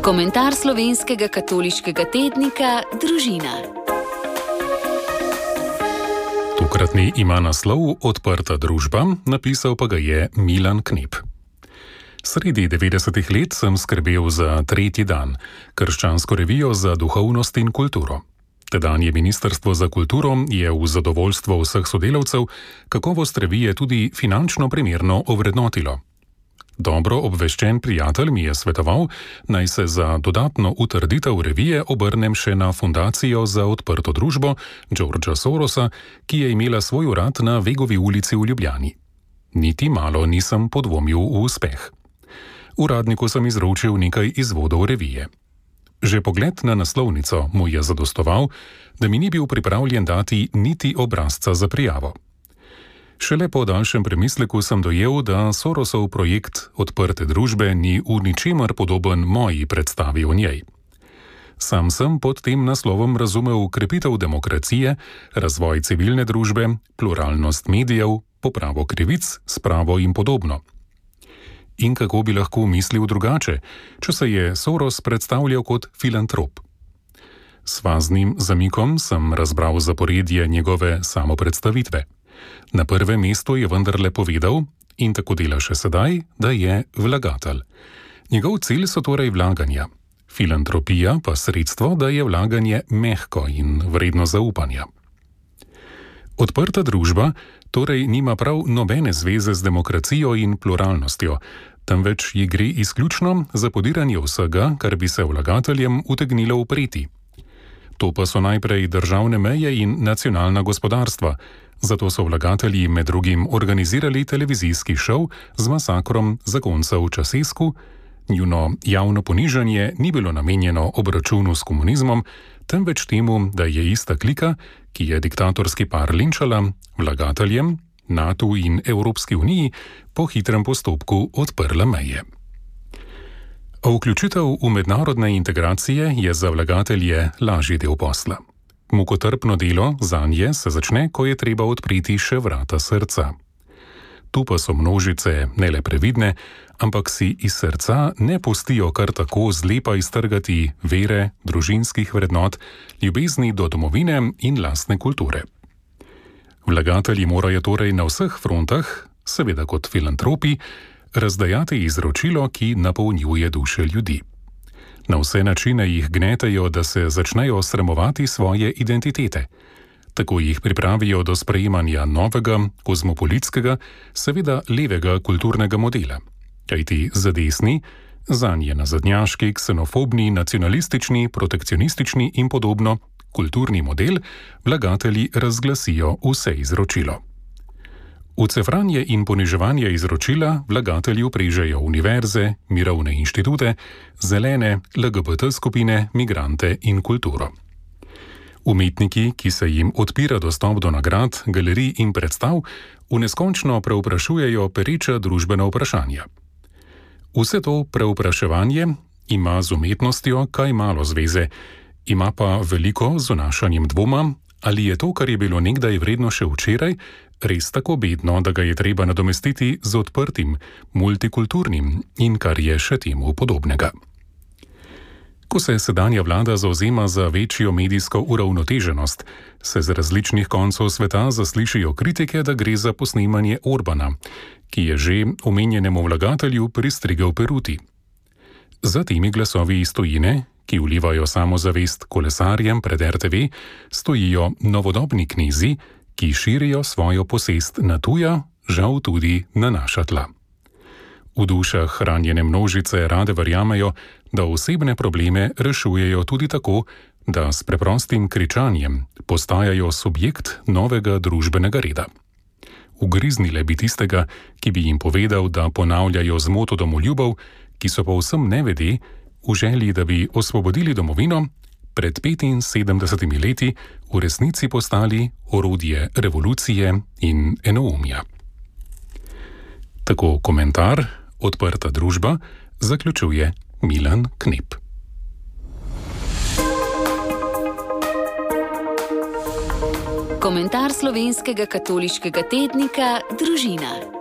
Komentar slovenskega katoliškega tednika Družina. Tokratni ima naslov Odprta družba, napisal pa ga je Milan Knip. Sredi 90-ih let sem skrbel za Tretji dan, krščansko revijo za duhovnost in kulturo. Tedanje Ministrstvo za kulturo je v zadovoljstvo vseh sodelavcev kakovost revije tudi finančno primerno ovrednotilo. Dobro obveščen prijatelj mi je svetoval, naj se za dodatno utrditev revije obrnem še na Fundacijo za odprto družbo Georgea Sorosa, ki je imela svoj urad na Vegovi ulici v Ljubljani. Niti malo nisem podvomil v uspeh. Uradniku sem izročil nekaj izvodov revije. Že pogled na naslovnico mu je zadostoval, da mi ni bil pripravljen dati niti obrazca za prijavo. Šele po daljšem premisleku sem dojel, da Sorosov projekt odprte družbe ni v ničemer podoben moji predstavi o njej. Sam sem pod tem naslovom razumel krepitev demokracije, razvoj civilne družbe, pluralnost medijev, popravo krivic, spravo in podobno. In kako bi lahko mislil drugače, če se je Soros predstavljal kot filantrop? S faznim zamikom sem razbral zaporedje njegove samopredstavitve. Na prvem mestu je vendarle povedal, in tako dela še sedaj, da je vlagatelj. Njegov cilj so torej vlaganja. Filantropija pa sredstvo, da je vlaganje mehko in vredno zaupanja. Odprta družba torej nima prav nobene zveze z demokracijo in pluralnostjo, temveč ji gre izključno za podiranje vsega, kar bi se vlagateljem utegnilo upreti. To pa so najprej državne meje in nacionalna gospodarstva, zato so vlagatelji med drugim organizirali televizijski šov z masakrom zakoncev Časesku. Njuno javno ponižanje ni bilo namenjeno obračunu s komunizmom, temveč temu, da je ista klika, ki je diktatorski par linčala, vlagateljem, NATO in Evropski uniji po hitrem postopku odprla meje. A vključitev v mednarodne integracije je za vlagatelje lažji del posla. Mukotrpno delo zanje se začne, ko je treba odpreti še vrata srca. Tu pa so množice ne le previdne, ampak si iz srca ne pustijo kar tako zlepa iztrgati vere, družinskih vrednot, ljubezni do domovine in lastne kulture. Vlagatelji morajo torej na vseh frontah, seveda kot filantropi, razdajati izročilo, ki napolnjuje duše ljudi. Na vse načine jih gnetejo, da se začnejo sramovati svoje identitete. Tako jih pripravijo do sprejemanja novega, kozmopolitskega, seveda levega kulturnega modela. Kajti za desni, zanje nazadnjaški, ksenofobni, nacionalistični, protekcionistični in podobno kulturni model vlagatelji razglasijo vse izročilo. V cefranje in poniževanje izročila vlagatelji vprežejo univerze, mirovne inštitute, zelene, LGBT skupine, migrante in kulturo. Umetniki, ki se jim odpira dostop do nagrad, galerij in predstav, v neskončno preuprašujejo pereča družbena vprašanja. Vse to preupraševanje ima z umetnostjo kaj malo zveze, ima pa veliko z vnašanjem dvoma, ali je to, kar je bilo nekdaj vredno še včeraj, res tako bedno, da ga je treba nadomestiti z odprtim, multikulturnim in kar je še temu podobnega. Ko se sedanja vlada zavzema za večjo medijsko uravnoteženost, se z različnih koncev sveta zaslišijo kritike, da gre za posnemanje Orbana, ki je že omenjenemu vlagatelju pristrigel peruti. Za temi glasovi iz tujine, ki vlivajo samozavest kolesarjem pred RTV, stojijo novodobni knezi, ki širijo svojo posest na tuja, žal tudi na naša tla. V dušah ranjene množice rade verjamejo, da osebne probleme rešujejo tudi tako, da s preprostim kričanjem postajajo subjekt novega družbenega reda. Ugriznile bi tistega, ki bi jim povedal, da ponavljajo zmoto domoljubov, ki so povsem nevede, v želji, da bi osvobodili domovino, pred 75 leti v resnici postali orodje revolucije in enoumja. Tako komentar Odprta družba zaključuje Milan Knip. Komentar slovenskega katoliškega tednika Družina.